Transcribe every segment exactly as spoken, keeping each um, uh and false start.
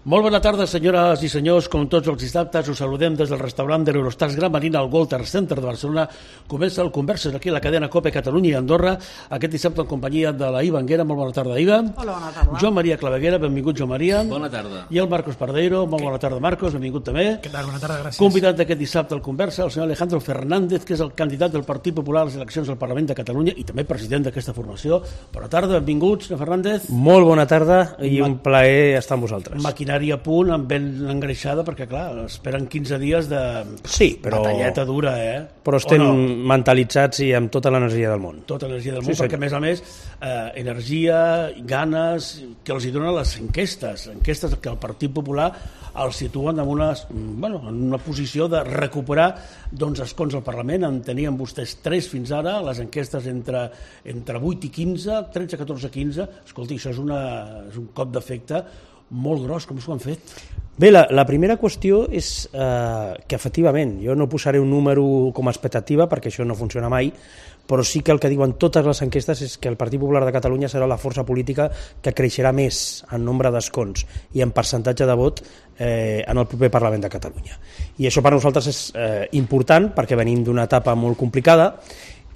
Molt bona tarda, senyores i senyors. Com tots els dissabtes, us saludem des del restaurant de l'Eurostars Gran Marina al Walter Center de Barcelona. Comença el Converses aquí a la cadena COPE Catalunya i Andorra, aquest dissabte en companyia de la Iva Anguera. Molt bona tarda, Iva. Hola, bona tarda. Joan Maria Claveguera, benvingut, Joan Maria. Bona tarda. I el Marcos Pardeiro. Molt bona tarda, Marcos, benvingut també. Què tal? Bona tarda, gràcies. Convidat d'aquest dissabte al Conversa, el senyor Alejandro Fernández, que és el candidat del Partit Popular a les eleccions al Parlament de Catalunya i també president d'aquesta formació. Bona tarda, benvingut, senyor Fernández. Molt bona tarda i un plaer estar amb vosaltres. Maquinària a punt, amb ben engreixada, perquè clar, esperen quinze dies de sí, però... batalleta dura, eh? Però estem no? mentalitzats i amb tota l'energia del món. Tota l'energia del món, sí, perquè a més a més, eh, energia, ganes, que els hi donen les enquestes, enquestes que el Partit Popular els situen en una, bueno, en una posició de recuperar doncs, escons al Parlament. En tenien vostès tres fins ara, les enquestes entre, entre vuit i quinze, tretze, catorze, quinze. Escolti, això és, una, és un cop d'efecte molt gros. Com s'ho han fet? Bé, la, la primera qüestió és eh, que efectivament, jo no posaré un número com a expectativa perquè això no funciona mai, però sí que el que diuen totes les enquestes és que el Partit Popular de Catalunya serà la força política que creixerà més en nombre d'escons i en percentatge de vot eh, en el proper Parlament de Catalunya. I això per nosaltres és eh, important perquè venim d'una etapa molt complicada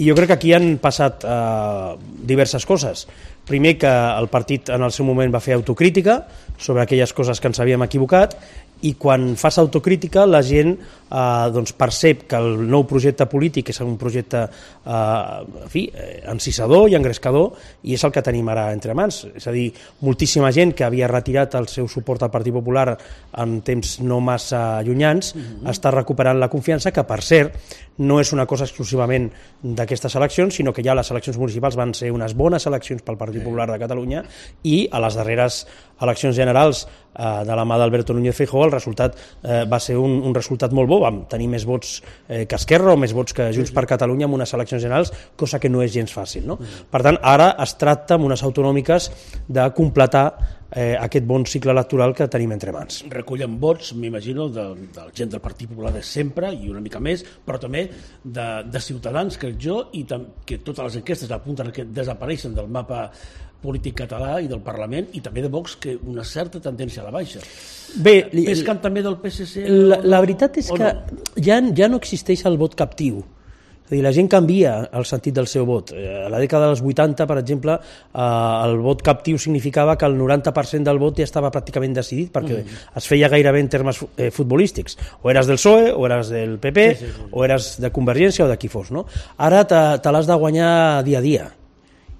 i jo crec que aquí han passat eh, diverses coses. Primer, que el partit en el seu moment va fer autocrítica sobre aquelles coses que ens havíem equivocat i quan fas autocrítica la gent eh, doncs percep que el nou projecte polític és un projecte eh, en fi, encisador i engrescador i és el que tenim ara entre mans. És a dir, moltíssima gent que havia retirat el seu suport al Partit Popular en temps no massa llunyans mm-hmm. està recuperant la confiança, que per cert no és una cosa exclusivament d'aquestes eleccions, sinó que ja les eleccions municipals van ser unes bones eleccions pel Partit Popular de Catalunya i a les darreres eleccions generals eh, de la mà d'Alberto Núñez Feijóo el resultat eh, va ser un, un resultat molt bo, vam tenir més vots eh, que Esquerra o més vots que Junts per Catalunya en unes eleccions generals, cosa que no és gens fàcil, no? Per tant, ara es tracta amb unes autonòmiques de completar eh, aquest bon cicle electoral que tenim entre mans. Recullen vots, m'imagino, de, de la gent del Partit Popular de sempre i una mica més, però també de, de Ciutadans, crec jo, i tam, que totes les enquestes apunten que desapareixen del mapa polític català i del Parlament, i també de Vox, que una certa tendència a la baixa. Bé, pescant també del P S C? La, la veritat és que no? ja, ja no existeix el vot captiu. És a dir, la gent canvia el sentit del seu vot. A la dècada dels vuitanta, per exemple, eh, el vot captiu significava que el noranta per cent del vot ja estava pràcticament decidit, perquè mm. es feia gairebé en termes eh, futbolístics. O eres del P S O E, o eres del P P, sí, sí, sí. o eres de Convergència o de qui fos. No? Ara te, te l'has de guanyar dia a dia.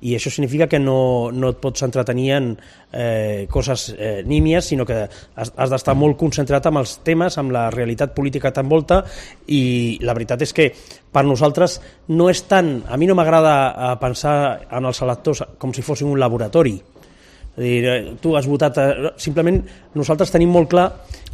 I això significa que no, no et pots entretenir en eh, coses eh, nímies, sinó que has, has d'estar molt concentrat amb els temes, amb la realitat política que t'envolta, i la veritat és que per nosaltres no és tant... A mi no m'agrada pensar en els electors com si fossin un laboratori. És a dir, tu has votat... Simplement nosaltres tenim molt clar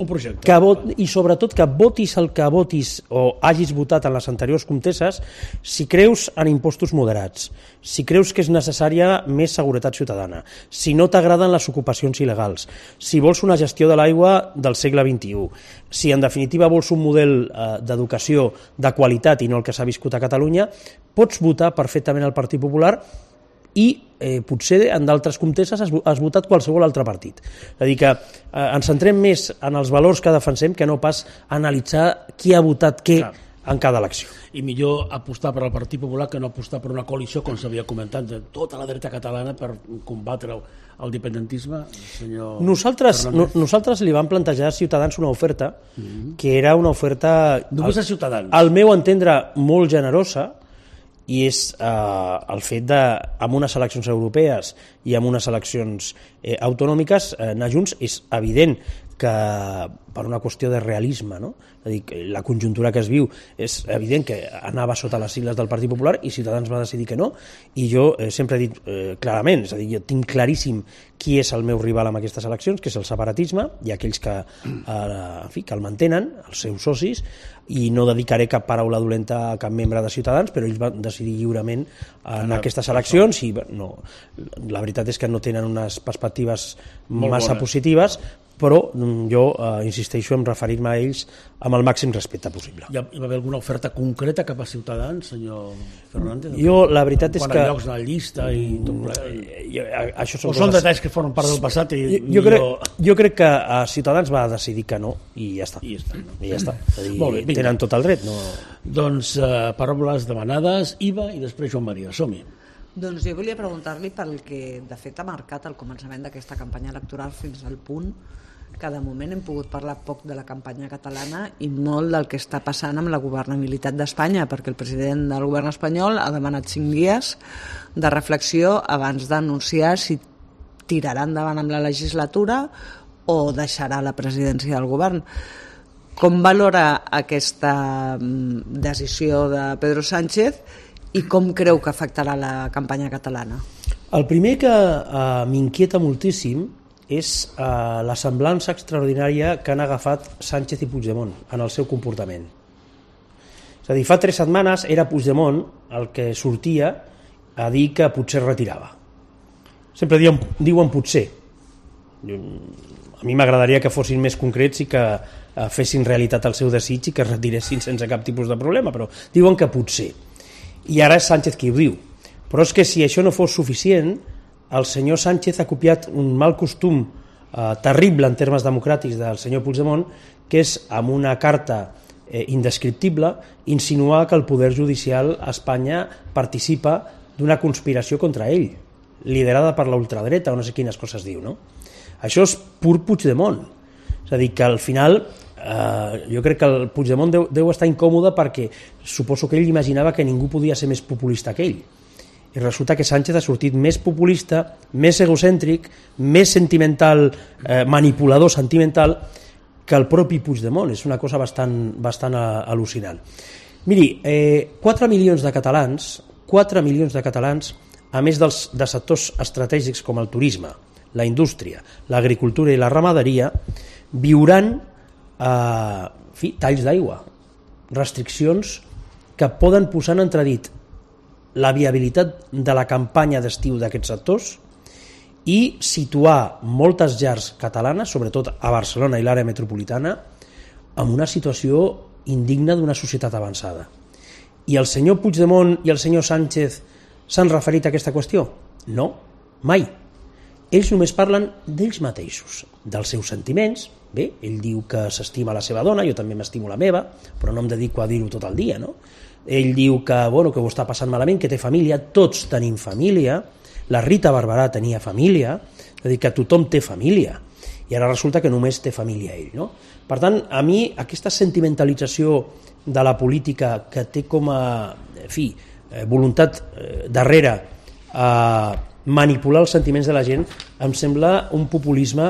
un projecte. Que vot, i sobretot que votis el que votis o hagis votat en les anteriors comtesses, si creus en impostos moderats, si creus que és necessària més seguretat ciutadana, si no t'agraden les ocupacions il·legals, si vols una gestió de l'aigua del segle vint-i-u, si en definitiva vols un model eh, d'educació de qualitat i no el que s'ha viscut a Catalunya, pots votar perfectament al Partit Popular i eh, potser en d'altres comtesses has, has votat qualsevol altre partit. És a dir, que eh, ens centrem més en els valors que defensem que no pas analitzar qui ha votat què Clar. En cada elecció. I millor apostar per al Partit Popular que no apostar per una coalició, com s'havia comentat, de tota la dreta catalana per combatre el dependentisme, senyor Nosaltres, no, nosaltres li vam plantejar a Ciutadans una oferta mm-hmm. que era una oferta... Només a Ciutadans. Al meu entendre, molt generosa, i és eh, el fet de, amb unes eleccions europees i amb unes eleccions eh, autonòmiques, eh, anar junts. És evident que per una qüestió de realisme, no? És a dir, la conjuntura que es viu, és evident que anava sota les sigles del Partit Popular i Ciutadans va decidir que no, i jo eh, sempre he dit eh, clarament, és a dir, jo tinc claríssim qui és el meu rival en aquestes eleccions, que és el separatisme, i aquells que, eh, en fi, que el mantenen, els seus socis, i no dedicaré cap paraula dolenta a cap membre de Ciutadans, però ells van decidir lliurement en aquestes eleccions i no, la veritat és que no tenen unes perspectives massa positives, però jo eh, insisteixo en referir-me a ells amb el màxim respecte possible. Hi va haver alguna oferta concreta cap a Ciutadans, senyor Fernández? Jo, la veritat és quan que... Quan llocs a la llista i tot ple... Això són o són coses... detalls que formen part del passat i... Jo, jo, crec, jo crec que a Ciutadans va decidir que no i ja està. I ja està. No? I ja està. Dir, Molt bé, tenen tot el dret. No... Doncs uh, paraules demanades, Iva i després Joan Maria. Som-hi. Doncs jo volia preguntar-li pel que de fet ha marcat el començament d'aquesta campanya electoral fins al punt que de moment hem pogut parlar poc de la campanya catalana i molt del que està passant amb la governabilitat d'Espanya, perquè el president del govern espanyol ha demanat cinc dies de reflexió abans d'anunciar si tirarà endavant amb la legislatura o deixarà la presidència del govern. Com valora aquesta decisió de Pedro Sánchez i com creu que afectarà la campanya catalana? El primer que eh, m'inquieta moltíssim és eh, la semblança extraordinària que han agafat Sánchez i Puigdemont en el seu comportament. És a dir, fa tres setmanes era Puigdemont el que sortia a dir que potser retirava. Sempre diuen, diuen potser. A mi m'agradaria que fossin més concrets i que eh, fessin realitat el seu desig i que es retiressin sense cap tipus de problema, però diuen que potser. I ara és Sánchez qui ho diu. Però és que si això no fos suficient, el senyor Sánchez ha copiat un mal costum eh, terrible en termes democràtics del senyor Puigdemont, que és, amb una carta eh, indescriptible, insinuar que el poder judicial a Espanya participa d'una conspiració contra ell, liderada per la ultradreta o no sé quines coses diu, no? Això és pur Puigdemont. És a dir, que al final eh, jo crec que el Puigdemont deu, deu estar incòmode perquè suposo que ell imaginava que ningú podia ser més populista que ell. I resulta que Sánchez ha sortit més populista, més egocèntric, més sentimental, eh, manipulador sentimental que el propi Puigdemont. És una cosa bastant, bastant al·lucinant. Miri, eh, quatre milions de catalans, quatre milions de catalans, a més dels, de sectors estratègics com el turisme, la indústria, l'agricultura i la ramaderia, viuran eh, en fi, talls d'aigua, restriccions que poden posar en entredit la viabilitat de la campanya d'estiu d'aquests sectors i situar moltes llars catalanes, sobretot a Barcelona i l'àrea metropolitana, en una situació indigna d'una societat avançada. I el senyor Puigdemont i el senyor Sánchez s'han referit a aquesta qüestió? No, mai. Ells només parlen d'ells mateixos, dels seus sentiments. Bé, ell diu que s'estima la seva dona, jo també m'estimo la meva, però no em dedico a dir-ho tot el dia, no? Ell diu que, bueno, que ho està passant malament, que té família, tots tenim família, la Rita Barberà tenia família, és a dir, que tothom té família, i ara resulta que només té família ell, no? Per tant, a mi aquesta sentimentalització de la política que té com a, en fi, voluntat darrere a manipular els sentiments de la gent, em sembla un populisme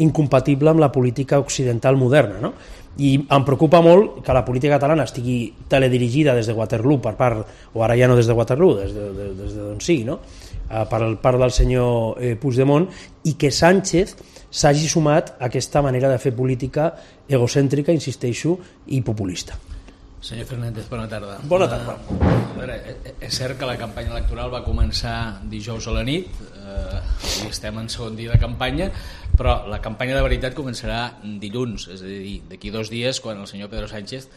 incompatible amb la política occidental moderna, no? I em preocupa molt que la política catalana estigui teledirigida des de Waterloo per part, o ara ja no des de Waterloo, des de, de, des de d'on sigui, no? Per part del senyor eh, Puigdemont, i que Sánchez s'hagi sumat a aquesta manera de fer política egocèntrica, insisteixo, i populista. Senyor Fernández, bona tarda. Bona tarda. Uh, a veure, és cert que la campanya electoral va començar dijous a la nit, eh, i estem en segon dia de campanya, però la campanya de veritat començarà dilluns, és a dir, d'aquí dos dies, quan el senyor Pedro Sánchez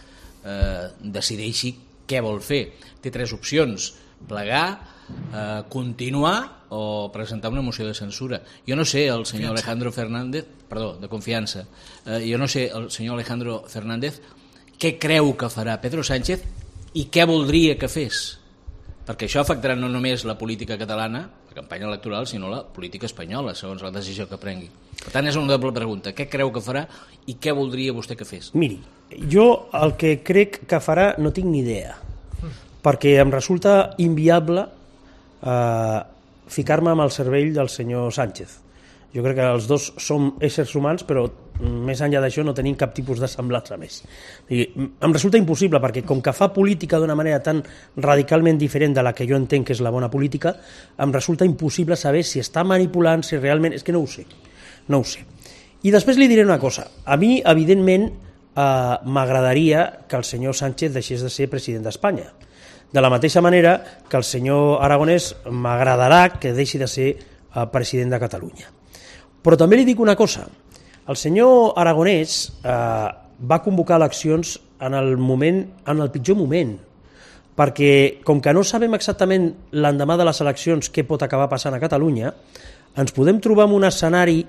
eh, decideixi què vol fer. Té tres opcions: plegar, eh, continuar o presentar una moció de censura. Jo no sé, el senyor Alejandro Fernández, perdó, de confiança, eh, jo no sé, el senyor Alejandro Fernández, què creu que farà Pedro Sánchez i què voldria que fes, perquè això afectarà no només la política catalana, la campanya electoral, sinó la política espanyola, segons la decisió que prengui. Per tant, és una doble pregunta: què creu que farà i què voldria vostè que fes? Miri, jo el que crec que farà no tinc ni idea, perquè em resulta inviable eh, ficar-me amb el cervell del senyor Sánchez. Jo crec que els dos som éssers humans, però més enllà d'això no tenim cap tipus de semblança més. I em resulta impossible, perquè com que fa política d'una manera tan radicalment diferent de la que jo entenc que és la bona política, em resulta impossible saber si està manipulant, si realment... És que no ho sé, no ho sé. I després li diré una cosa. A mi, evidentment, eh, m'agradaria que el senyor Sánchez deixés de ser president d'Espanya. De la mateixa manera que el senyor Aragonès m'agradarà que deixi de ser eh, president de Catalunya. Però també li dic una cosa: El senyor Aragonès eh, va convocar eleccions en el moment, en el pitjor moment, perquè com que no sabem exactament l'endemà de les eleccions què pot acabar passant a Catalunya, ens podem trobar en un escenari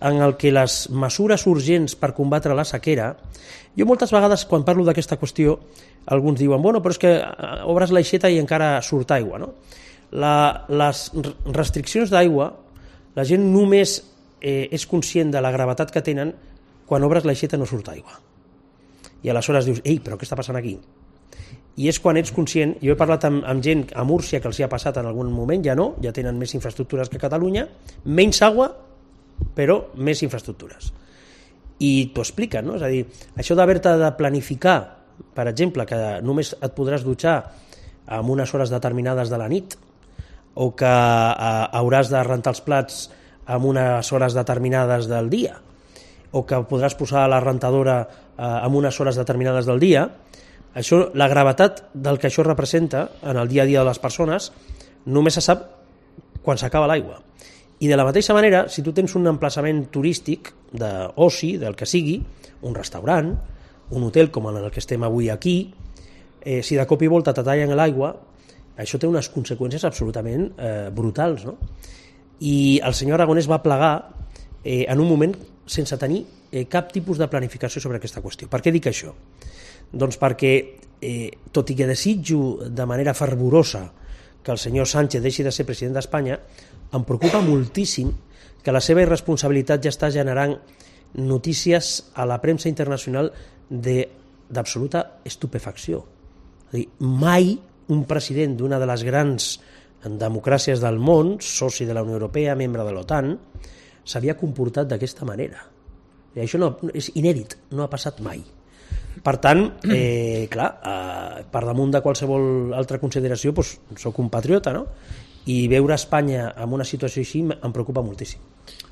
en el que les mesures urgents per combatre la sequera... Jo moltes vegades, quan parlo d'aquesta qüestió, alguns diuen, bueno, però és que obres l'aixeta i encara surt aigua, no? La, les restriccions d'aigua, la gent només eh, és conscient de la gravetat que tenen quan obres l'aixeta no surt aigua. I aleshores dius, ei, però què està passant aquí? I és quan ets conscient, jo he parlat amb, amb gent a Múrcia que els hi ha passat en algun moment, ja no, ja tenen més infraestructures que Catalunya, menys aigua, però més infraestructures. I t'ho expliquen, no? És a dir, això d'haver-te de planificar, per exemple, que només et podràs dutxar en unes hores determinades de la nit, o que eh, hauràs de rentar els plats en unes hores determinades del dia, o que podràs posar la rentadora eh, en unes hores determinades del dia, això, la gravetat del que això representa en el dia a dia de les persones només se sap quan s'acaba l'aigua. I de la mateixa manera, si tu tens un emplaçament turístic d'oci, del que sigui, un restaurant, un hotel com en el que estem avui aquí, eh, si de cop i volta te tallen l'aigua, això té unes conseqüències absolutament eh, brutals, no? I el senyor Aragonès va plegar eh, en un moment sense tenir eh, cap tipus de planificació sobre aquesta qüestió. Per què dic això? Doncs perquè, eh, tot i que desitjo de manera fervorosa que el senyor Sánchez deixi de ser president d'Espanya, em preocupa moltíssim que la seva irresponsabilitat ja està generant notícies a la premsa internacional d'absoluta estupefacció. És a dir, mai un president d'una de les grans democràcies del món, soci de la Unió Europea, membre de l'OTAN, s'havia comportat d'aquesta manera. I això no, és inèdit, no ha passat mai. Per tant, eh, clar, eh, per damunt de qualsevol altra consideració, doncs, soc un patriota, no? I veure Espanya en una situació així em preocupa moltíssim.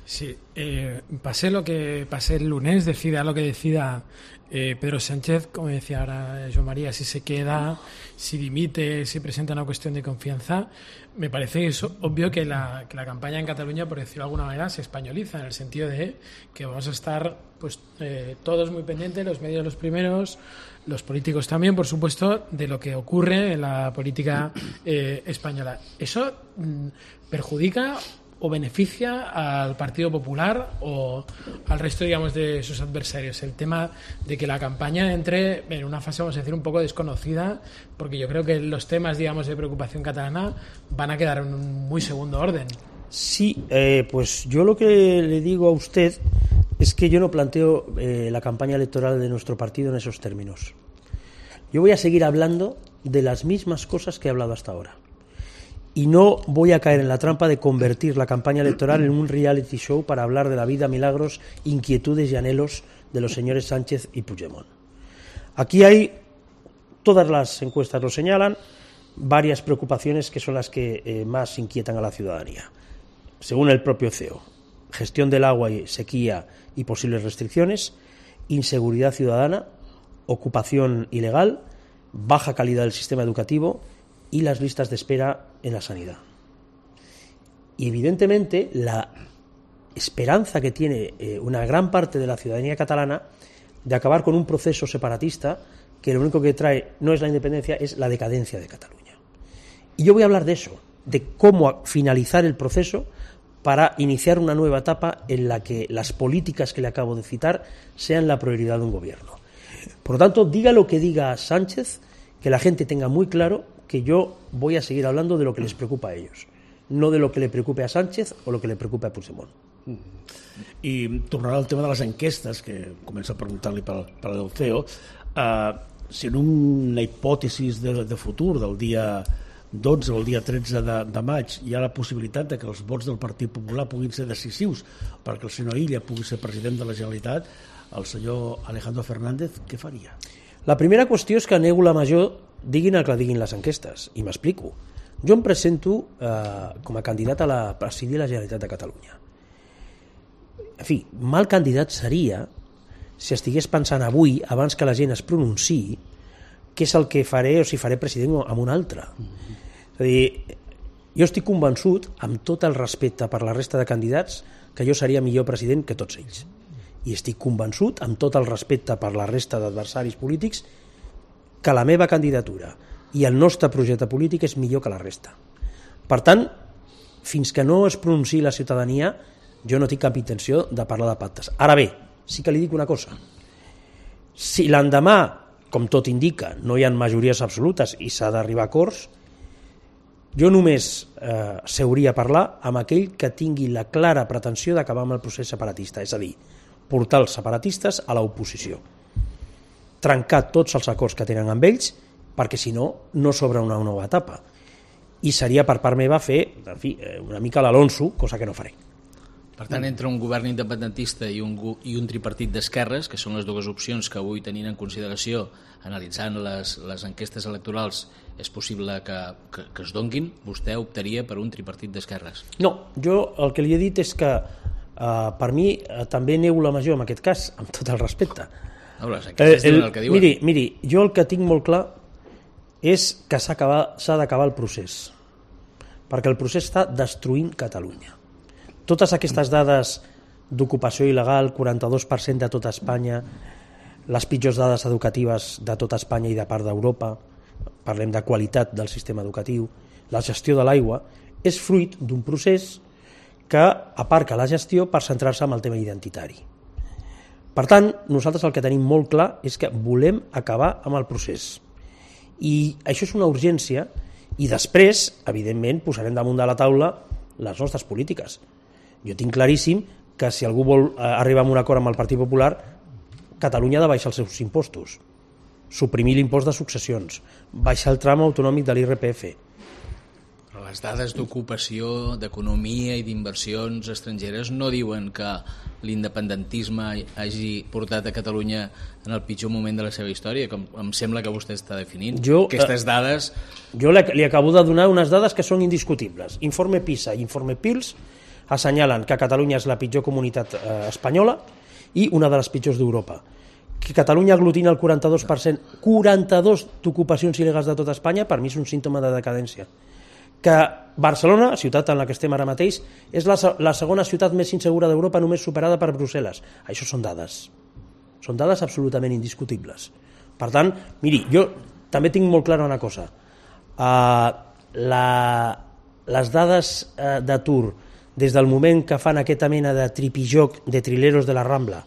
Sí, eh, pase lo que pase el lunes, decida lo que decida eh, Pedro Sánchez, como decía ahora Joan María, si se queda, si dimite, si presenta una cuestión de confianza, me parece que es obvio que la, que la campaña en Cataluña, por decirlo de alguna manera, se españoliza, en el sentido de que vamos a estar pues eh, todos muy pendientes, los medios los primeros, los políticos también, por supuesto, de lo que ocurre en la política eh, española. ¿Eso mm, perjudica o beneficia al Partido Popular o al resto, digamos, de sus adversarios? El tema de que la campaña entre en una fase, vamos a decir, un poco desconocida, porque yo creo que los temas, digamos, de preocupación catalana van a quedar en un muy segundo orden. Sí, eh, pues yo lo que le digo a usted es que yo no planteo eh, la campaña electoral de nuestro partido en esos términos. Yo voy a seguir hablando de las mismas cosas que he hablado hasta ahora. Y no voy a caer en la trampa de convertir la campaña electoral en un reality show para hablar de la vida, milagros, inquietudes y anhelos de los señores Sánchez y Puigdemont. Aquí hay, todas las encuestas lo señalan, varias preocupaciones que son las que eh, más inquietan a la ciudadanía. Según el propio C E O, gestión del agua y sequía y posibles restricciones, inseguridad ciudadana, ocupación ilegal, baja calidad del sistema educativo y las listas de espera en la sanidad. Y evidentemente la esperanza que tiene eh, una gran parte de la ciudadanía catalana de acabar con un proceso separatista que lo único que trae no es la independencia, es la decadencia de Cataluña. Y yo voy a hablar de eso, de cómo finalizar el proceso para iniciar una nueva etapa en la que las políticas que le acabo de citar sean la prioridad de un gobierno. Por lo tanto, diga lo que diga Sánchez, que la gente tenga muy claro que yo voy a seguir hablando de lo que les preocupa a ellos, no de lo que le preocupe a Sánchez o lo que le preocupe a Puigdemont. I tornarà al tema de les enquestes, que comença a preguntar-li per, per el C E O. Uh, si en una hipòtesi de, de futur del dia dotze o el dia tretze de, de maig hi ha la possibilitat de que els vots del Partit Popular puguin ser decisius perquè el senyor Illa pugui ser president de la Generalitat, el senyor Alejandro Fernández, què faria? La primera qüestió és que nego la major, diguin el que diguin les enquestes, i m'explico. Jo em presento eh, com a candidat a la presidir la Generalitat de Catalunya. En fi, mal candidat seria si estigués pensant avui, abans que la gent es pronunciï, què és el que faré o si faré president amb un altre. Mm-hmm. És a dir, jo estic convençut, amb tot el respecte per la resta de candidats, que jo seria millor president que tots ells. i estic convençut, amb tot el respecte per la resta d'adversaris polítics, que la meva candidatura i el nostre projecte polític és millor que la resta. Per tant, fins que no es pronunciï la ciutadania, jo no tinc cap intenció de parlar de pactes. Ara bé, sí que li dic una cosa. Si l'endemà, com tot indica, no hi ha majories absolutes i s'ha d'arribar a acords, jo només eh, seuria a parlar amb aquell que tingui la clara pretensió d'acabar amb el procés separatista, és a dir, portar els separatistes a l'oposició. Trencar tots els acords que tenen amb ells, perquè si no, no s'obre una nova etapa. I seria per part meva fer, en fi, una mica l'Alonso, cosa que no faré. Per tant, entre un govern independentista i un, i un tripartit d'esquerres, que són les dues opcions que avui tenint en consideració, analitzant les, les enquestes electorals, és possible que, que, que es donguin, vostè optaria per un tripartit d'esquerres? No, jo el que li he dit és que eh, per mi eh, també neu la major en aquest cas, amb tot el respecte. No, les enquestes diuen el que diuen. Miri, miri, jo el que tinc molt clar és que s'ha d'acabar el procés, perquè el procés està destruint Catalunya. Totes aquestes dades d'ocupació il·legal, quaranta-dos per cent de tota Espanya, les pitjors dades educatives de tota Espanya i de part d'Europa, parlem de qualitat del sistema educatiu, la gestió de l'aigua, és fruit d'un procés que aparca la gestió per centrar-se en el tema identitari. Per tant, nosaltres el que tenim molt clar és que volem acabar amb el procés. I això és una urgència i després, evidentment, posarem damunt de la taula les nostres polítiques. Jo tinc claríssim que si algú vol arribar a un acord amb el Partit Popular, Catalunya ha de baixar els seus impostos, suprimir l'impost de successions, baixar el tram autonòmic de l'I R P F. Però les dades d'ocupació, d'economia i d'inversions estrangeres no diuen que l'independentisme hagi portat a Catalunya en el pitjor moment de la seva història, com em sembla que vostè està definint. Jo, Aquestes dades... Jo li acabo de donar unes dades que són indiscutibles. Informe PISA i informe PIRLS assenyalen que Catalunya és la pitjor comunitat eh, espanyola i una de les pitjors d'Europa. Que Catalunya aglutina el quaranta-dos per cent, quaranta-dos d'ocupacions il·legals de tota Espanya, per mi és un símptoma de decadència. Que Barcelona, ciutat en la que estem ara mateix, és la, la segona ciutat més insegura d'Europa, només superada per Brussel·les. Això són dades. Són dades absolutament indiscutibles. Per tant, miri, jo també tinc molt clara una cosa. Uh, la, les dades uh, d'atur des del moment que fan aquesta mena de tripijoc de trileros de la Rambla,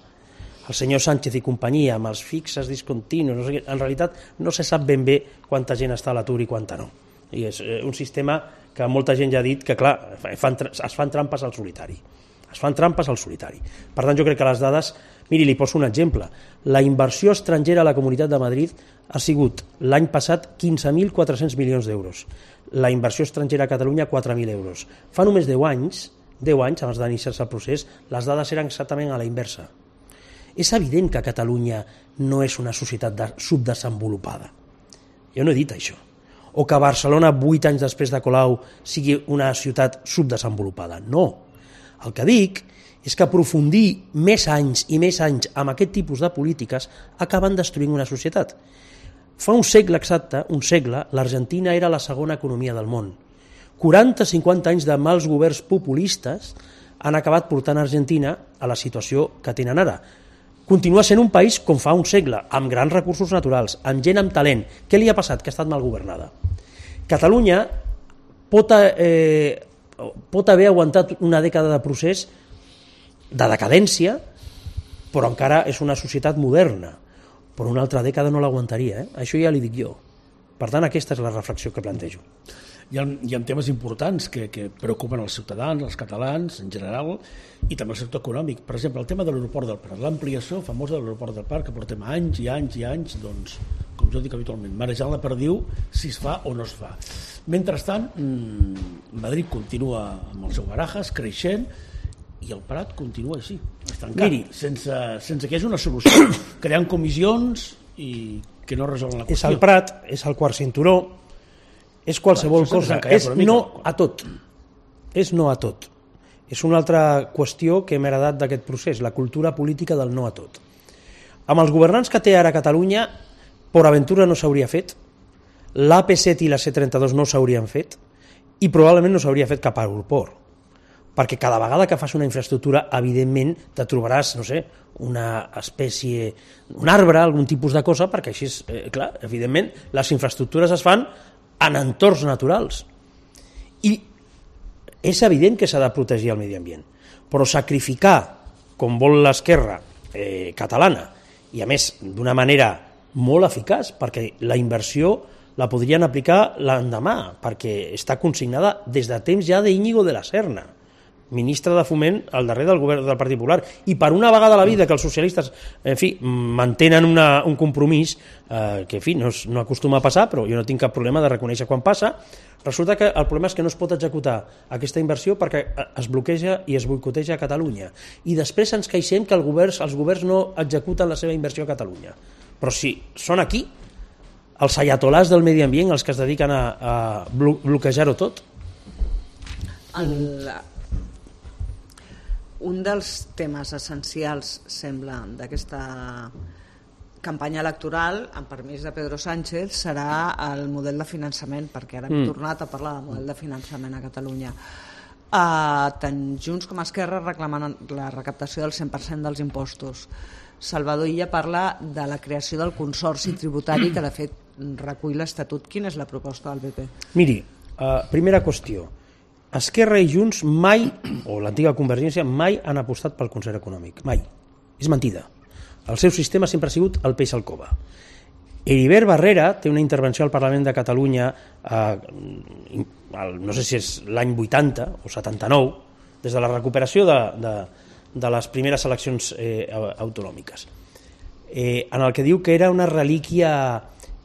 el senyor Sánchez i companyia, amb els fixes discontinus, no sé què, en realitat no se sap ben bé quanta gent està a l'atur i quanta no. I és un sistema que molta gent ja ha dit que, clar, fan, es fan trampes al solitari. Es fan trampes al solitari. Per tant, jo crec que les dades... Miri, li poso un exemple. La inversió estrangera a la Comunitat de Madrid ha sigut l'any passat quinze mil quatre-cents milions d'euros. La inversió estrangera a Catalunya, quatre mil euros. Fa només deu anys, deu anys abans d'iniciar-se el procés, les dades eren exactament a la inversa. És evident que Catalunya no és una societat de, subdesenvolupada. Jo no he dit això. O que Barcelona, vuit anys després de Colau, sigui una ciutat subdesenvolupada. No. El que dic és que aprofundir més anys i més anys amb aquest tipus de polítiques acaben destruint una societat. Fa un segle exacte, un segle, l'Argentina era la segona economia del món. quaranta a cinquanta anys de mals governs populistes han acabat portant Argentina a la situació que tenen ara. Continua sent un país com fa un segle, amb grans recursos naturals, amb gent amb talent. Què li ha passat? Que ha estat mal governada. Catalunya pot, eh, pot haver aguantat una dècada de procés de decadència, però encara és una societat moderna. Però una altra dècada no l'aguantaria, eh? Això ja li dic jo. Per tant, aquesta és la reflexió que plantejo. Hi ha, hi ha temes importants que, que preocupen els ciutadans, els catalans en general, i també el sector econòmic. Per exemple, el tema de l'aeroport del Prat, l'ampliació famosa de l'aeroport del Prat, que portem anys i anys i anys, doncs, com jo dic habitualment, marejant la perdiu si es fa o no es fa. Mentrestant, Madrid continua amb el seu Barajas, creixent, i el Prat continua així, estancat, Miri, sense, sense que hi hagi una solució, creant comissions i que no resolen la qüestió. És el Prat, és el quart cinturó, és qualsevol bueno, cosa, és no a tot, és no a tot. És una altra qüestió que hem heredat d'aquest procés, la cultura política del no a tot. Amb els governants que té ara Catalunya, Port Aventura no s'hauria fet, l'A P set i la C trenta-dos no s'haurien fet, i probablement no s'hauria fet cap aeroport. perquè cada vegada que fas una infraestructura, evidentment, te trobaràs, no sé, una espècie, un arbre, algun tipus de cosa, perquè així, eh, clar, evidentment, les infraestructures es fan en entorns naturals. I és evident que s'ha de protegir el medi ambient, però sacrificar, com vol l'esquerra eh, catalana, i a més d'una manera molt eficaç, perquè la inversió la podrien aplicar l'endemà, perquè està consignada des de temps ja d'Íñigo de la Serna, ministre de Foment al darrer del govern del Partit Popular, i per una vegada a la vida que els socialistes, en fi, mantenen una, un compromís eh, que, en fi, no, es, no acostuma a passar, però jo no tinc cap problema de reconèixer quan passa, resulta que el problema és que no es pot executar aquesta inversió perquè es bloqueja i es boicoteja a Catalunya. I després ens queixem que el govern, els governs no executen la seva inversió a Catalunya. Però si són aquí, els ayatolars del medi ambient, els que es dediquen a, a bloquejar-ho tot. El, un dels temes essencials, sembla, d'aquesta campanya electoral, amb permís de Pedro Sánchez, serà el model de finançament, perquè ara hem mm. tornat a parlar del model de finançament a Catalunya. Uh, tant Junts com Esquerra reclamen la recaptació del cent per cent dels impostos. Salvador Illa parla de la creació del consorci tributari que, de fet, recull l'Estatut. Quina és la proposta del P P? Miri, uh, primera qüestió. Esquerra i Junts mai, o l'antiga Convergència, mai han apostat pel concert econòmic. Mai. És mentida. El seu sistema sempre ha sigut el peix al cova. Heribert Barrera té una intervenció al Parlament de Catalunya, eh, no sé si és l'any vuitanta o setanta-nou, des de la recuperació de, de, de les primeres eleccions eh, autonòmiques, eh, en el que diu que era una relíquia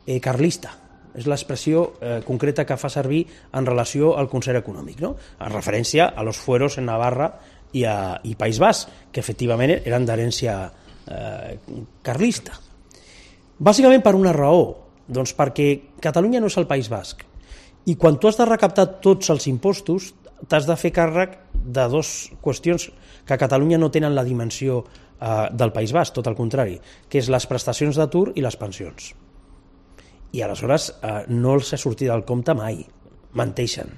eh, carlista. És l'expressió eh, concreta que fa servir en relació al concert econòmic, no? En referència a los fueros en Navarra i, a, i País Basc, que efectivament eren d'herència eh, carlista. Bàsicament per una raó, doncs perquè Catalunya no és el País Basc, i quan tu has de recaptar tots els impostos t'has de fer càrrec de dues qüestions que a Catalunya no tenen la dimensió eh, del País Basc, tot el contrari, que és les prestacions d'atur i les pensions. I aleshores eh, no els ha sortit del compte mai, menteixen.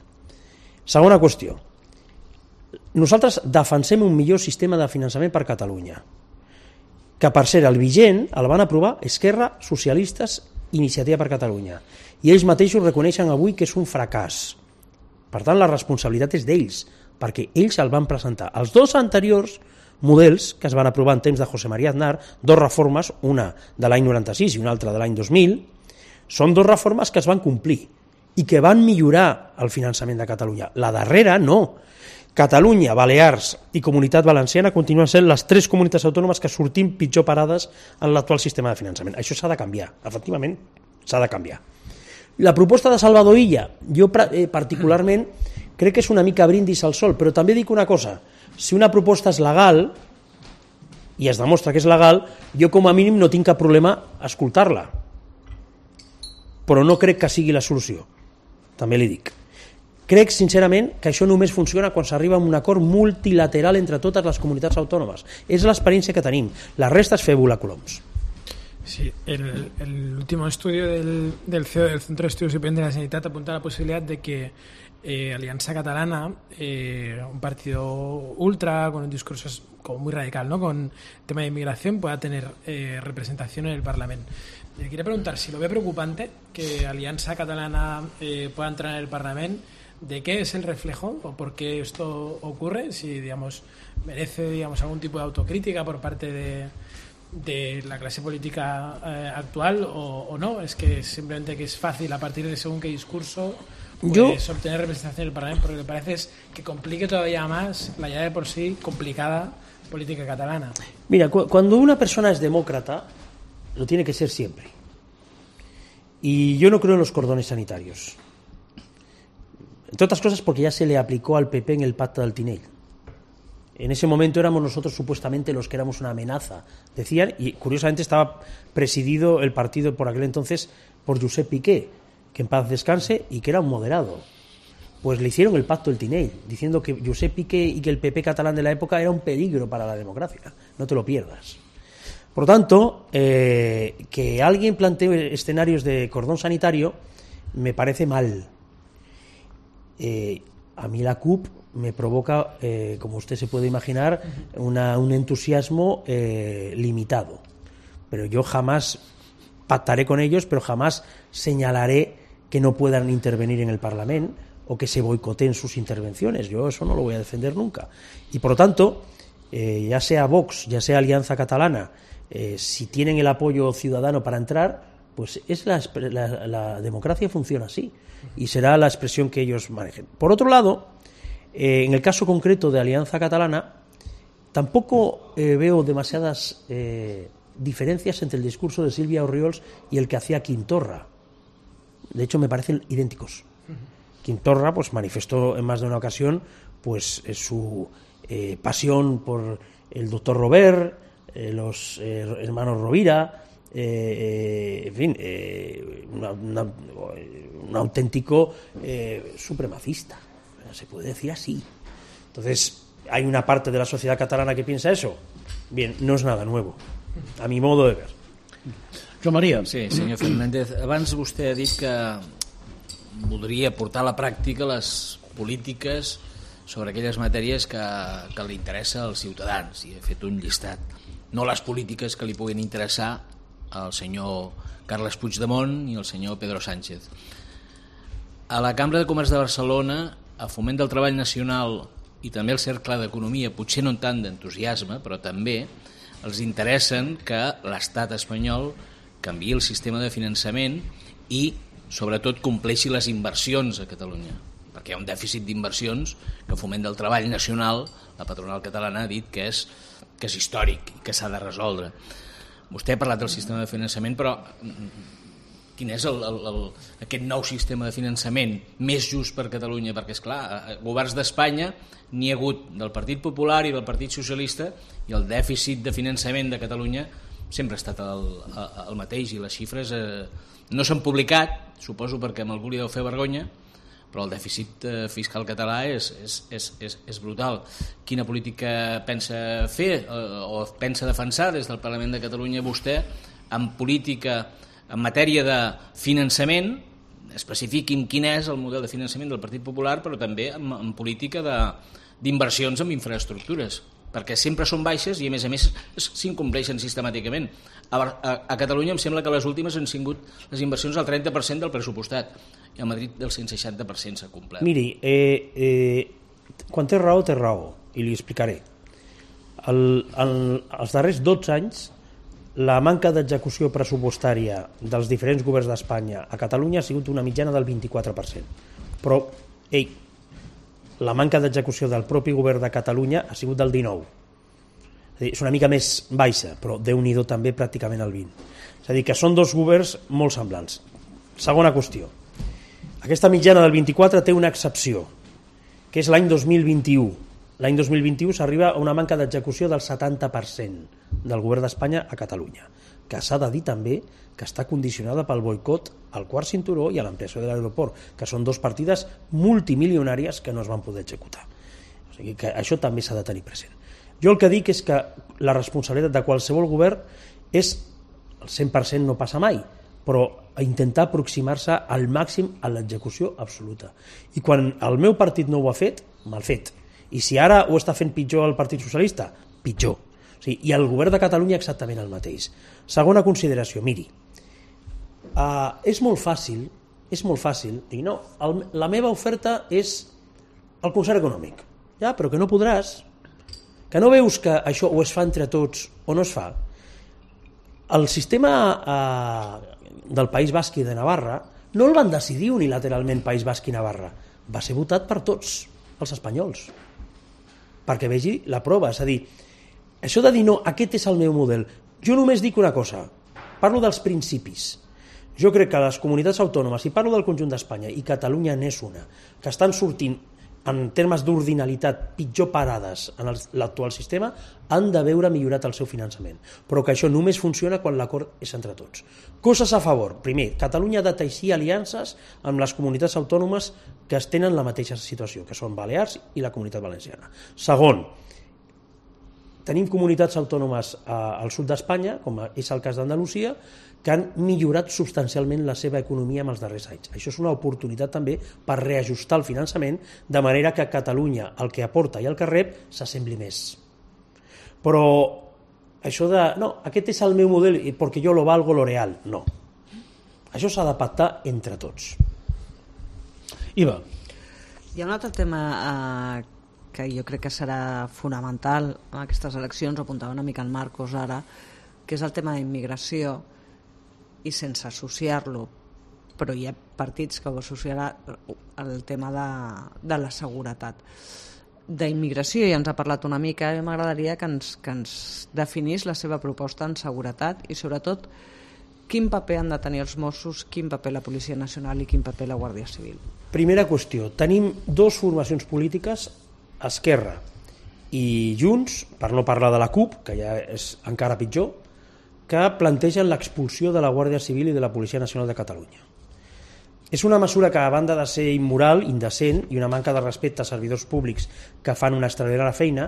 Segona qüestió, nosaltres defensem un millor sistema de finançament per Catalunya, que per ser el vigent el van aprovar Esquerra, Socialistes, Iniciativa per Catalunya, i ells mateixos reconeixen avui que és un fracàs. Per tant, la responsabilitat és d'ells, perquè ells el van presentar. Els dos anteriors models que es van aprovar en temps de José María Aznar, dos reformes, una de l'any noranta-sis i una altra de l'any dos mil, són dues reformes que es van complir i que van millorar el finançament de Catalunya. La darrera no. Catalunya, Balears i Comunitat Valenciana continuen sent les tres comunitats autònomes que sortim pitjor parades en l'actual sistema de finançament. Això s'ha de canviar, efectivament s'ha de canviar. La proposta de Salvador Illa, jo particularment crec que és una mica brindis al sol, però també dic una cosa, si una proposta és legal i es demostra que és legal, jo com a mínim no tinc cap problema a escoltar-la, però no crec que sigui la solució, també li dic. Crec, sincerament, que això només funciona quan s'arriba a un acord multilateral entre totes les comunitats autònomes. És l'experiència que tenim. La resta és fer volar coloms. Sí, el, el último estudio del, del C E O del Centro de Estudios Superiores de la Sanidad apunta a la posibilidad de que eh, Alianza Catalana, eh, un partido ultra con un discurso como muy radical, ¿no?, con tema de inmigración, pueda tener eh, representación en el Parlamento. Le quería preguntar si lo ve preocupante que Alianza Catalana eh, pueda entrar en el Parlamento. ¿De qué es el reflejo o por qué esto ocurre? Si, digamos, merece, digamos, algún tipo de autocrítica por parte de, de la clase política eh, actual o, o no. Es que simplemente que es fácil a partir de según qué discurso pues, Yo... obtener representación en el Parlamento, porque lo que parece es que complique todavía más la ya de por sí complicada política catalana. Mira, cu cuando una persona es demócrata, lo tiene que ser siempre. Y yo no creo en los cordones sanitarios. Entre otras cosas porque ya se le aplicó al P P en el pacto del Tinell. En ese momento éramos nosotros supuestamente los que éramos una amenaza, decían, y curiosamente estaba presidido el partido por aquel entonces por Josep Piqué, que en paz descanse y que era un moderado. Pues le hicieron el pacto del Tinell, diciendo que Josep Piqué y que el P P catalán de la época era un peligro para la democracia. No te lo pierdas. Por lo tanto, eh, que alguien plantee escenarios de cordón sanitario me parece mal. Eh, a mí la C U P me provoca, eh, como usted se puede imaginar, una, un entusiasmo eh, limitado. Pero yo jamás pactaré con ellos, pero jamás señalaré que no puedan intervenir en el Parlamento o que se boicoteen sus intervenciones. Yo eso no lo voy a defender nunca. Y por lo tanto, eh, ya sea Vox, ya sea Alianza Catalana, eh, si tienen el apoyo ciudadano para entrar, pues es la, la, la democracia funciona así y será la expresión que ellos manejen. Por otro lado, eh, en el caso concreto de Alianza Catalana, tampoco eh, veo demasiadas eh, diferencias entre el discurso de Sílvia Orriols y el que hacía Quintorra. De hecho, me parecen idénticos. Quintorra pues manifestó en más de una ocasión pues su eh, pasión por el doctor Robert, eh, los eh, hermanos Rovira, eh, eh, en fin, eh, una, una, un auténtico eh, supremacista, se puede decir así. Entonces, ¿hay una parte de la sociedad catalana que piensa eso? Bien, no és nada nuevo, a mi modo de ver. Joan Maria. Sí, senyor Fernández, abans vostè ha dit que voldria portar a la pràctica les polítiques sobre aquelles matèries que, que li interessa als ciutadans, i he fet un llistat. No les polítiques que li puguin interessar al senyor Carles Puigdemont i al senyor Pedro Sánchez. A la Cambra de Comerç de Barcelona, a Foment del Treball Nacional i també al Cercle d'Economia, potser no tant d'entusiasme, però també els interessen que l'estat espanyol canviï el sistema de finançament i, sobretot, compleixi les inversions a Catalunya, perquè hi ha un dèficit d'inversions que Foment del Treball Nacional, la patronal catalana, ha dit que és, que és històric i que s'ha de resoldre. Vostè ha parlat del sistema de finançament, però quin és el, el, el, aquest nou sistema de finançament més just per Catalunya? Perquè, esclar, governs d'Espanya n'hi ha hagut del Partit Popular i del Partit Socialista i el dèficit de finançament de Catalunya sempre ha estat el, el mateix i les xifres eh, no s'han publicat, suposo perquè a algú li deu fer vergonya, però el dèficit eh, fiscal català és, és, és, és, és brutal. Quina política pensa fer eh, o pensa defensar des del Parlament de Catalunya vostè en política, en matèria de finançament? Especifiqui'm quin és el model de finançament del Partit Popular, però també en, en política d'inversions en infraestructures, perquè sempre són baixes i a més a més s'incompleixen sistemàticament. A, a, a Catalunya em sembla que les últimes han sigut les inversions al trenta per cent del pressupostat i a Madrid del cent seixanta per cent s'ha complert. Miri, eh, eh, quan té raó, té raó, i li explicaré. El, el, els darrers dotze anys la manca d'execució pressupostària dels diferents governs d'Espanya a Catalunya ha sigut una mitjana del vint-i-quatre per cent. Però, ei, la manca d'execució del propi govern de Catalunya ha sigut del dinou. És una mica més baixa, però Déu-n'hi-do també pràcticament el vint. És a dir, que són dos governs molt semblants. Segona qüestió. Aquesta mitjana del vint-i-quatre té una excepció, que és l'any dos mil vint-i-u. L'any dos mil vint-i-u s'arriba a una manca d'execució del setanta per cent del govern d'Espanya a Catalunya, que s'ha de dir també que està condicionada pel boicot al quart cinturó i a l'ampliació de l'aeroport, que són dos partides multimilionàries que no es van poder executar. O sigui que això també s'ha de tenir present. Jo el que dic és que la responsabilitat de qualsevol govern és, el cent per cent no passa mai, però intentar aproximar-se al màxim a l'execució absoluta. I quan el meu partit no ho ha fet, mal fet. I si ara ho està fent pitjor el Partit Socialista, pitjor. O sigui, i el govern de Catalunya exactament el mateix. Segona consideració, miri, uh, és molt fàcil, és molt fàcil dir, no, el, la meva oferta és el concert econòmic. Ja, però que no podràs, que no veus que això o es fa entre tots o no es fa. El sistema uh, del País Basc i de Navarra no el van decidir unilateralment País Basc i Navarra, va ser votat per tots els espanyols, perquè vegi la prova. És a dir, això de dir no, aquest és el meu model, jo només dic una cosa, parlo dels principis. Jo crec que les comunitats autònomes, i parlo del conjunt d'Espanya, i Catalunya n'és una, que estan sortint en termes d'ordinalitat pitjor parades en l'actual sistema, han de veure millorat el seu finançament, però que això només funciona quan l'acord és entre tots. Coses a favor. Primer, Catalunya ha de teixir aliances amb les comunitats autònomes que es tenen la mateixa situació, que són Balears i la Comunitat Valenciana. Segon, tenim comunitats autònomes al sud d'Espanya, com és el cas d'Andalusia, que han millorat substancialment la seva economia en els darrers anys. Això és una oportunitat també per reajustar el finançament, de manera que Catalunya, el que aporta i el que rep, s'assembli més. Però això de, no, aquest és el meu model perquè jo lo valgo lo real, no. Això s'ha de pactar entre tots. Iva. Hi ha un altre tema eh, que jo crec que serà fonamental en aquestes eleccions, ho apuntava una mica el Marcos ara, que és el tema d'immigració, i sense associar-lo, però hi ha partits que ho associaran al tema de, de la seguretat. D'immigració ja ens ha parlat una mica, i m'agradaria que ens, que ens definís la seva proposta en seguretat i sobretot quin paper han de tenir els Mossos, quin paper la Policia Nacional i quin paper la Guàrdia Civil. Primera qüestió, tenim dues formacions polítiques, Esquerra i Junts, per no parlar de la CUP, que ja és encara pitjor, que plantegen l'expulsió de la Guàrdia Civil i de la Policia Nacional de Catalunya. És una mesura que, a banda de ser immoral, indecent i una manca de respecte a servidors públics que fan una extraordinària feina,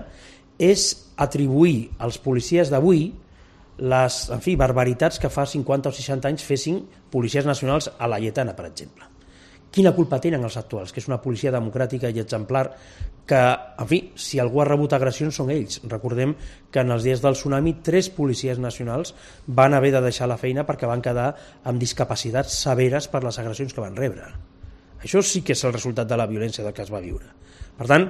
és atribuir als policies d'avui les, en fi, barbaritats que fa cinquanta o seixanta anys fessin policies nacionals a la Lletana, per exemple. Quina culpa tenen els actuals, que és una policia democràtica i exemplar, que, en fi, si algú ha rebut agressions són ells. Recordem que en els dies del tsunami tres policies nacionals van haver de deixar la feina perquè van quedar amb discapacitats severes per les agressions que van rebre. Això sí que és el resultat de la violència del que es va viure. Per tant,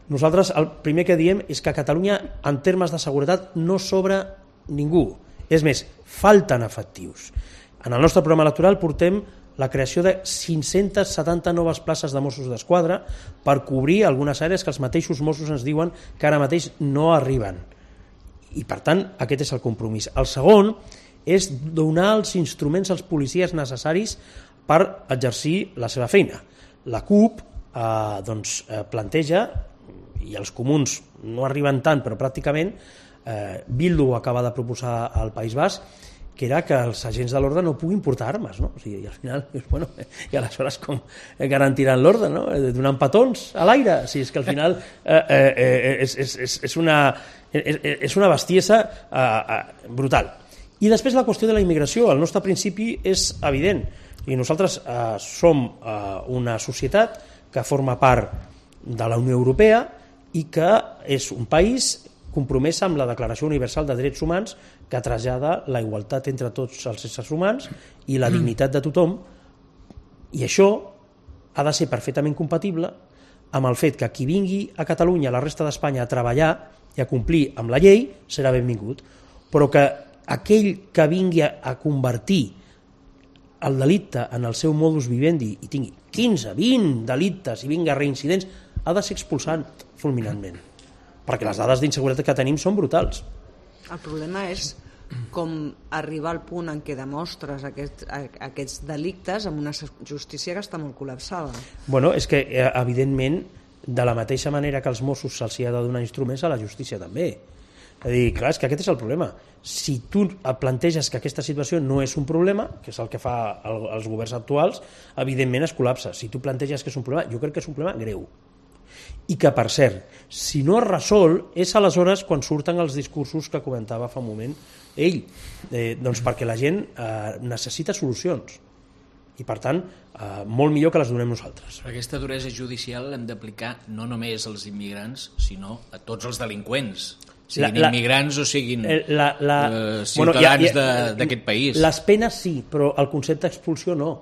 nosaltres el primer que diem és que a Catalunya, en termes de seguretat, no sobra ningú. És més, falten efectius. En el nostre programa electoral portem la creació de cinc-centes setanta noves places de Mossos d'Esquadra per cobrir algunes àrees que els mateixos Mossos ens diuen que ara mateix no arriben. I, per tant, aquest és el compromís. El segon és donar els instruments als policies necessaris per exercir la seva feina. La CUP eh, doncs, eh, planteja, i els comuns no arriben tant, però pràcticament, eh, Bildu acaba de proposar al País Basc, que era que els agents de l'ordre no puguin portar armes, no? O sigui, i al final, bueno, i aleshores com garantiran l'ordre, no? Donant petons a l'aire, o sigui, és que al final eh, eh, és, és, és, és, una, és, és una bestiesa eh, eh, brutal. I després la qüestió de la immigració, el nostre principi és evident, i nosaltres eh, som eh, una societat que forma part de la Unió Europea i que és un país compromès amb la Declaració Universal de Drets Humans, que trasllada la igualtat entre tots els éssers humans i la dignitat de tothom, i això ha de ser perfectament compatible amb el fet que qui vingui a Catalunya, a la resta d'Espanya, a treballar i a complir amb la llei serà benvingut, però que aquell que vingui a convertir el delicte en el seu modus vivendi i tingui quinze, vint delictes i vinga reincidents, ha de ser expulsat fulminantment, perquè les dades d'inseguretat que tenim són brutals. El problema és com arribar al punt en què demostres aquest, aquests delictes amb una justícia que està molt col·lapsada. Bueno, és que, evidentment, de la mateixa manera que als Mossos se'ls ha de donar instruments, a la justícia també. És a dir, clar, és que aquest és el problema. Si tu planteges que aquesta situació no és un problema, que és el que fa el, els governs actuals, evidentment es col·lapsa. Si tu planteges que és un problema, jo crec que és un problema greu. I que, per cert, si no es resol, és aleshores quan surten els discursos que comentava fa un moment ell, eh, doncs perquè la gent eh, necessita solucions i, per tant, eh, molt millor que les donem nosaltres. Però aquesta duresa judicial l'hem d'aplicar no només als immigrants, sinó a tots els delinqüents, siguin la, la, immigrants o siguin la, la, eh, ciutadans bueno, d'aquest país. Les penes sí, però el concepte d'expulsió no,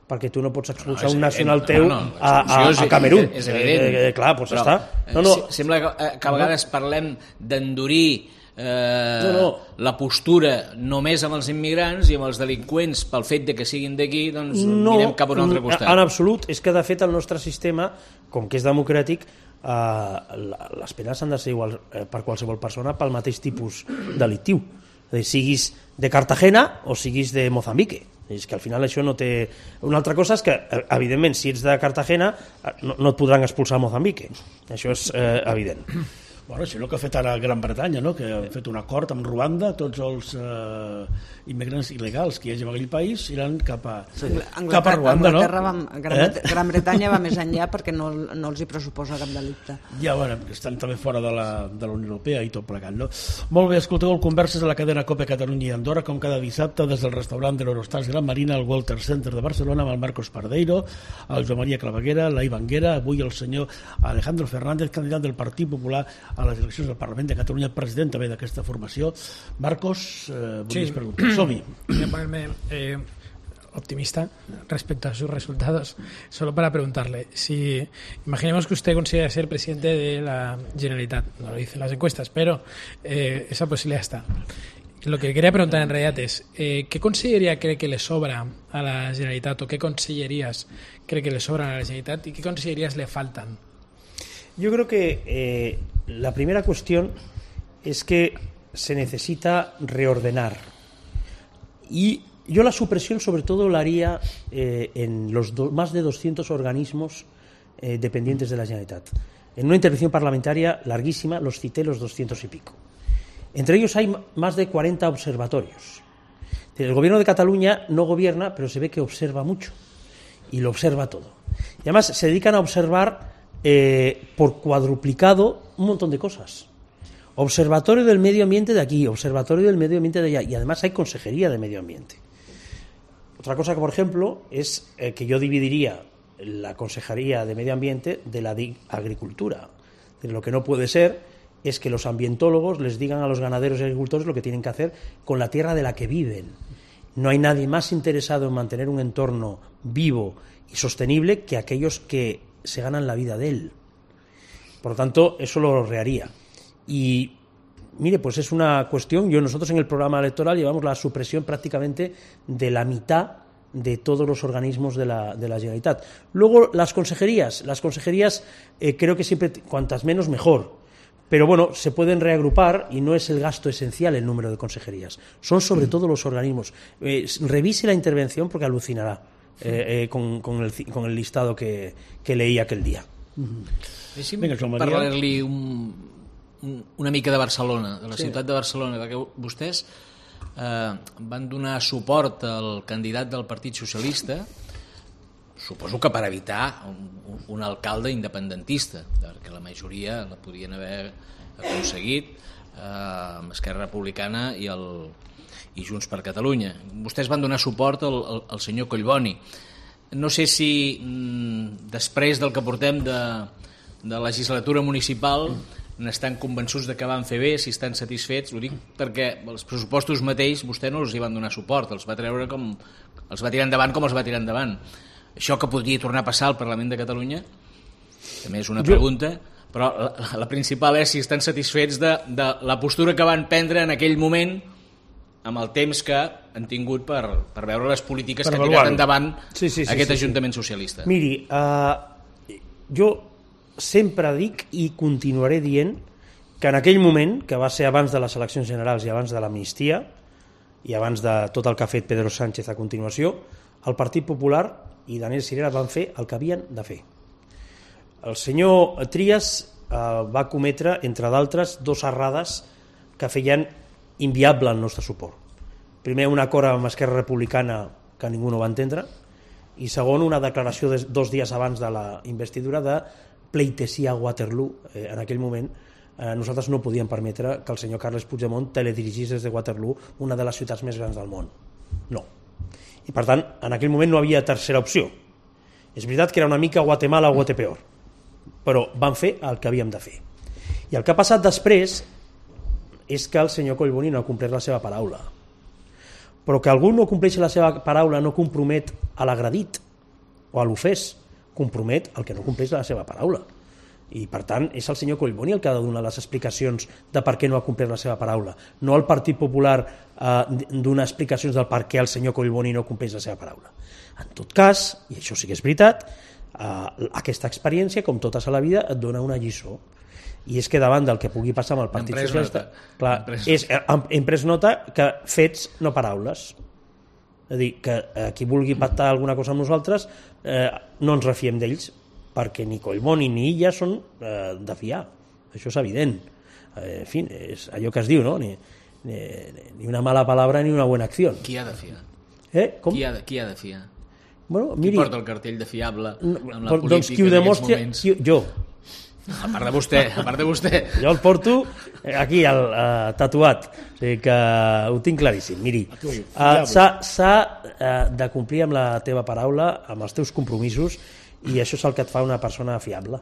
perquè tu no pots expulsar no, un nacional teu no, no, a, a, a Camerún. És, és evident. Eh, eh, clar, doncs però, està. No, no. Sembla que, que a vegades parlem d'endurir eh, no, no. la postura només amb els immigrants i amb els delinqüents pel fet de que siguin d'aquí, doncs no, mirem cap a un altre costat. En absolut, és que de fet el nostre sistema, com que és democràtic, eh, les penes han de ser igual eh, per qualsevol persona pel mateix tipus delictiu. És a dir, siguis de Cartagena o siguis de Mozambique. És que al final això no té... Una altra cosa és que, evidentment, si ets de Cartagena no, no et podran expulsar a Mozambique. Això és eh, evident. Bueno, això és el que ha fet ara Gran Bretanya, no? Que han fet un acord amb Ruanda, tots els eh, immigrants il·legals que hi hagi en aquell país iran cap a, sí. cap a Ruanda, no? Va, Gran, eh? Gran Bretanya va més enllà perquè no, no els hi pressuposa cap delicte. Ja, bueno, estan també fora de la, de la Unió Europea i tot plegat, no? Molt bé, escolteu el Converses de la cadena COPE Catalunya i Andorra, com cada dissabte, des del restaurant de l'Eurostars Gran Marina, al Walter Center de Barcelona, amb el Marcos Pardeiro, el Joan Maria Claveguera, la Ivanguera, avui el senyor Alejandro Fernández, candidat del Partit Popular a les eleccions del Parlament de Catalunya, president també d'aquesta formació. Marcos, eh, volies sí. preguntar. Som-hi. Voy a ponerme eh, optimista respecto a sus resultados, solo para preguntarle si, imaginemos que usted considera ser presidente de la Generalitat, no lo dicen las encuestas, pero eh, esa posibilidad está. Lo que quería preguntar en realidad es, eh, ¿qué consellería cree que le sobra a la Generalitat o qué consellerías cree que le sobran a la Generalitat y qué consellerías le faltan? Yo creo que eh, la primera cuestión es que se necesita reordenar. Y yo la supresión sobre todo la haría eh, en los do, más de doscientos organismos eh, dependientes de la Generalitat. En una intervención parlamentaria larguísima los cité los doscientos y pico. Entre ellos hay más de cuarenta observatorios. El gobierno de Cataluña no gobierna, pero se ve que observa mucho y lo observa todo. Y además se dedican a observar Eh, por cuadruplicado un montón de cosas. Observatorio del medio ambiente de aquí, observatorio del medio ambiente de allá, y además hay consejería de medio ambiente. Otra cosa que, por ejemplo, es eh, que yo dividiría la consejería de medio ambiente de la de agricultura. Lo que no puede ser es que los ambientólogos les digan a los ganaderos y agricultores lo que tienen que hacer con la tierra de la que viven. No hay nadie más interesado en mantener un entorno vivo y sostenible que aquellos que se ganan la vida de él. Por lo tanto, eso lo reharía. Y mire, pues es una cuestión, yo nosotros en el programa electoral llevamos la supresión prácticamente de la mitad de todos los organismos de la, de la Generalitat. Luego, las consejerías, las consejerías eh, creo que siempre, cuantas menos mejor, pero bueno, se pueden reagrupar y no es el gasto esencial el número de consejerías, son sobre todo los organismos. Eh, revise la intervención porque alucinará. Eh, eh, con, con, el, con el listado que, que leí aquell dia. Mm-hmm. Deixi'm parlar-li un, un, una mica de Barcelona, de la sí. ciutat de Barcelona, perquè vostès eh, van donar suport al candidat del Partit Socialista, suposo que per evitar un, un alcalde independentista, perquè la majoria la podien haver aconseguit eh, amb Esquerra Republicana i el i Junts per Catalunya. Vostès van donar suport al, al, al senyor Collboni. No sé si mm, després del que portem de, de legislatura municipal n'estan convençuts de que van fer bé, si estan satisfets. Ho dic perquè els pressupostos mateix vostè no els hi van donar suport, els va treure com els va tirar endavant com els va tirar endavant. Això que podria tornar a passar al Parlament de Catalunya també és una pregunta, però la, la principal és si estan satisfets de, de la postura que van prendre en aquell moment amb el temps que han tingut per, per veure les polítiques per que ha tirat endavant sí, sí, sí, aquest sí, Ajuntament sí. Socialista. Miri, uh, jo sempre dic i continuaré dient que en aquell moment, que va ser abans de les eleccions generals i abans de l'amnistia i abans de tot el que ha fet Pedro Sánchez a continuació, el Partit Popular i Daniel Sirera van fer el que havien de fer. El senyor Trias uh, va cometre, entre d'altres, dos errades que feien inviable el nostre suport. Primer, un acord amb Esquerra Republicana que ningú no va entendre, i segon, una declaració de dos dies abans de la investidura de pleitesia a Waterloo. Eh, en aquell moment eh, nosaltres no podíem permetre que el senyor Carles Puigdemont teledirigís des de Waterloo, una de les ciutats més grans del món. No. I per tant, en aquell moment no havia tercera opció. És veritat que era una mica Guatemala o Guatepeor, però van fer el que havíem de fer. I el que ha passat després és que el senyor Collboni no ha complert la seva paraula. Però que algú no compleixi la seva paraula no compromet a l'agredit o a l'ofès, compromet el que no compleix la seva paraula. I per tant és el senyor Collboni el que ha de donar les explicacions de per què no ha complert la seva paraula, no el Partit Popular eh, donar explicacions del per què el senyor Collboni no compleix la seva paraula. En tot cas, i això sí que és veritat, eh, aquesta experiència, com totes a la vida, et dona una lliçó. I és que davant del que pugui passar amb el Partit Socialista, clar, és, hem pres nota que fets, no paraules. És a dir, que eh, qui vulgui pactar alguna cosa amb nosaltres eh, no ens refiem d'ells, perquè ni Collboni ni ella són eh, de fiar. això és evident. En fi, és allò que es diu, no? Ni, ni, ni una mala palabra ni una buena acció. Qui ha de fiar? Eh? Com? Qui ha de, qui ha de fiar? Bueno, Qui miri, porta el cartell de fiable amb la doncs política qui ho en aquests demostra, moments? qui, jo. A part de vostè, a part de vostè. Jo el porto aquí, el, uh, tatuat. O sigui que ho tinc claríssim. Miri, uh, s'ha uh, de complir amb la teva paraula, amb els teus compromisos, i això és el que et fa una persona fiable.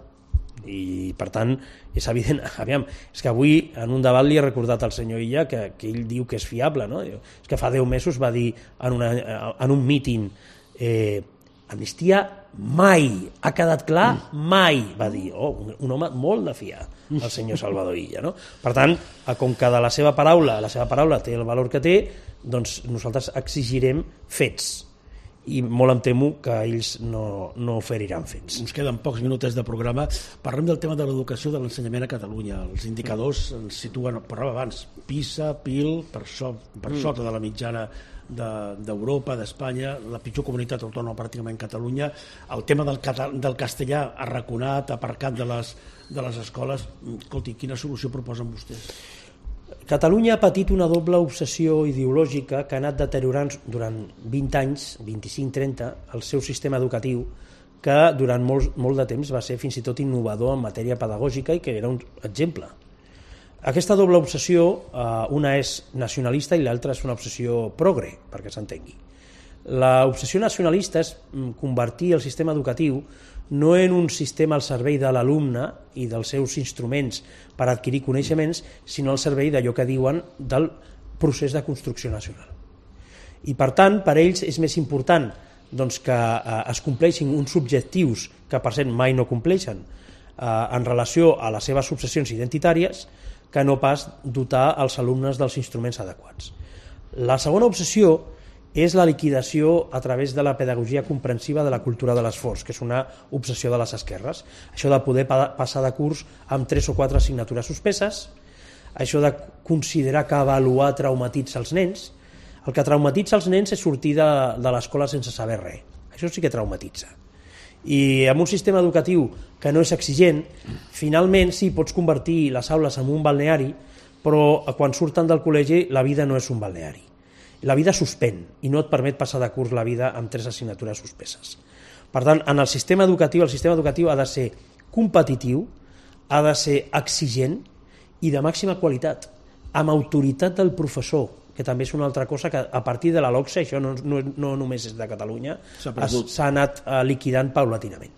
I per tant és evident, aviam, és que avui en un debat li he recordat al senyor Illa que, que ell diu que és fiable, no? És que fa deu mesos va dir en, una, en un míting eh, amnistia mai, ha quedat clar, mai, va dir, oh, un, un home molt de fiar, el senyor Salvador Illa, no? Per tant, com que de la seva paraula, la seva paraula té el valor que té, doncs nosaltres exigirem fets, i molt em temo que ells no, no oferiran fets. Ens queden pocs minuts de programa. Parlem del tema de l'educació, de l'ensenyament a Catalunya. Els indicadors ens situen, parlàvem abans, PISA, P I L, per, so, per mm. sota de la mitjana d'Europa, de, d'Espanya, la pitjor comunitat autònoma pràcticament Catalunya. El tema del, català, del castellà arraconat, aparcat de les, de les escoles. Escolti, quina solució proposen vostès? Catalunya ha patit una doble obsessió ideològica que ha anat deteriorant durant vint anys, vint-i-cinc trenta, el seu sistema educatiu, que durant molt, molt de temps va ser fins i tot innovador en matèria pedagògica i que era un exemple. Aquesta doble obsessió, eh, una és nacionalista i l'altra és una obsessió progre, perquè s'entengui. L'obsessió nacionalista és convertir el sistema educatiu no en un sistema al servei de l'alumne i dels seus instruments per adquirir coneixements, sinó al servei d'allò que diuen del procés de construcció nacional. I per tant, per ells és més important doncs, que eh, es compleixin uns objectius que per cert mai no compleixen eh, en relació a les seves obsessions identitàries, que no pas dotar els alumnes dels instruments adequats. La segona obsessió és la liquidació a través de la pedagogia comprensiva de la cultura de l'esforç, que és una obsessió de les esquerres. Això de poder pa passar de curs amb tres o quatre assignatures suspeses, això de considerar que avaluar traumatitza els nens. El que traumatitza els nens és sortir de, de l'escola sense saber res. Això sí que traumatitza. I amb un sistema educatiu que no és exigent, finalment sí, pots convertir les aules en un balneari, però quan surten del col·legi la vida no és un balneari. La vida suspèn i no et permet passar de curs la vida amb tres assignatures suspeses. Per tant, en el sistema educatiu, el sistema educatiu ha de ser competitiu, ha de ser exigent i de màxima qualitat, amb autoritat del professor, que també és una altra cosa que a partir de la LOCSE, això no, no, no només és de Catalunya, s'ha anat uh, liquidant paulatinament.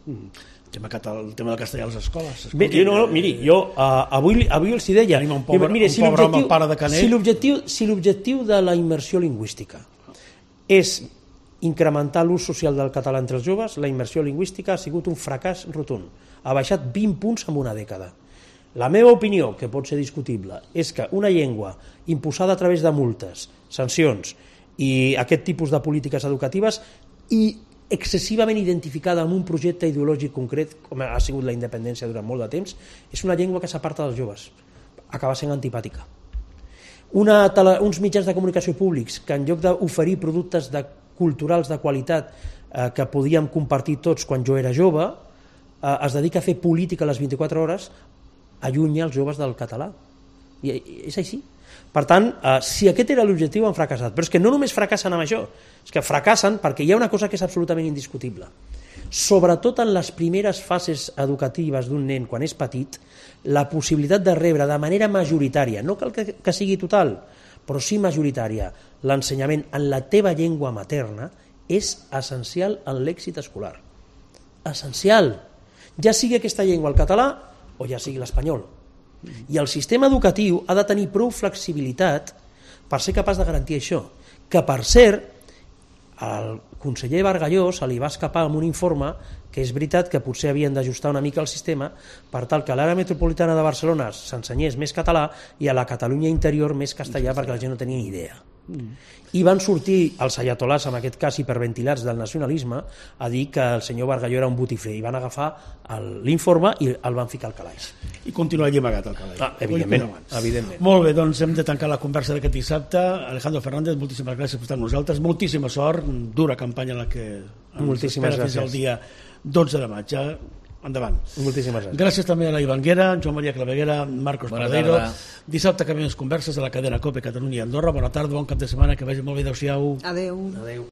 Mm. El tema, el tema del castellà a les escoles. Bé, jo no, miri, jo uh, avui, avui els hi deia... Tenim un pobre, mira, un si pobre home, pare de Canet... Si l'objectiu si l'objectiu de la immersió lingüística és incrementar l'ús social del català entre els joves, la immersió lingüística ha sigut un fracàs rotund. Ha baixat vint punts en una dècada. La meva opinió, que pot ser discutible, és que una llengua imposada a través de multes, sancions i aquest tipus de polítiques educatives i excessivament identificada amb un projecte ideològic concret, com ha sigut la independència durant molt de temps, és una llengua que s'aparta dels joves, acaba sent antipàtica. Una tele, uns mitjans de comunicació públics que en lloc d'oferir productes de, culturals de qualitat eh, que podíem compartir tots quan jo era jove, eh, es dedica a fer política a les vint-i-quatre hores, allunya els joves del català. I és així. Per tant, eh, si aquest era l'objectiu, han fracassat. Però és que no només fracassen amb això, és que fracassen perquè hi ha una cosa que és absolutament indiscutible. Sobretot en les primeres fases educatives d'un nen, quan és petit, la possibilitat de rebre de manera majoritària, no cal que, que sigui total, però sí majoritària, l'ensenyament en la teva llengua materna és essencial en l'èxit escolar. Essencial. Ja sigui aquesta llengua el català o ja sigui l'espanyol. I el sistema educatiu ha de tenir prou flexibilitat per ser capaç de garantir això. Que, per cert, al conseller Bargalló se li va escapar amb un informe que és veritat que potser havien d'ajustar una mica el sistema per tal que a l'àrea metropolitana de Barcelona s'ensenyés més català i a la Catalunya interior més castellà perquè la gent no tenia ni idea. Mm. I van sortir els ayatolars, en aquest cas hiperventilats del nacionalisme, a dir que el senyor Bargalló era un botifler i van agafar l'informe i el van ficar al calaix. I continua allí amagat al calaix. Ah, evidentment, evidentment. Molt bé, doncs hem de tancar la conversa d'aquest dissabte. Alejandro Fernández, moltíssimes gràcies per estar amb nosaltres, moltíssima sort, dura campanya en la que moltíssimes gràcies. Fins al dia dotze de maig. endavant. Moltíssimes gràcies. Gràcies també a la Ivanguera, Joan Maria Claveguera, Marcos Bona Paradero. tarda. Dissabte que ve les converses a la cadena COPE Catalunya i Andorra. Bona tarda, bon cap de setmana, que vagi molt bé, adéu-siau. Adéu. Adéu.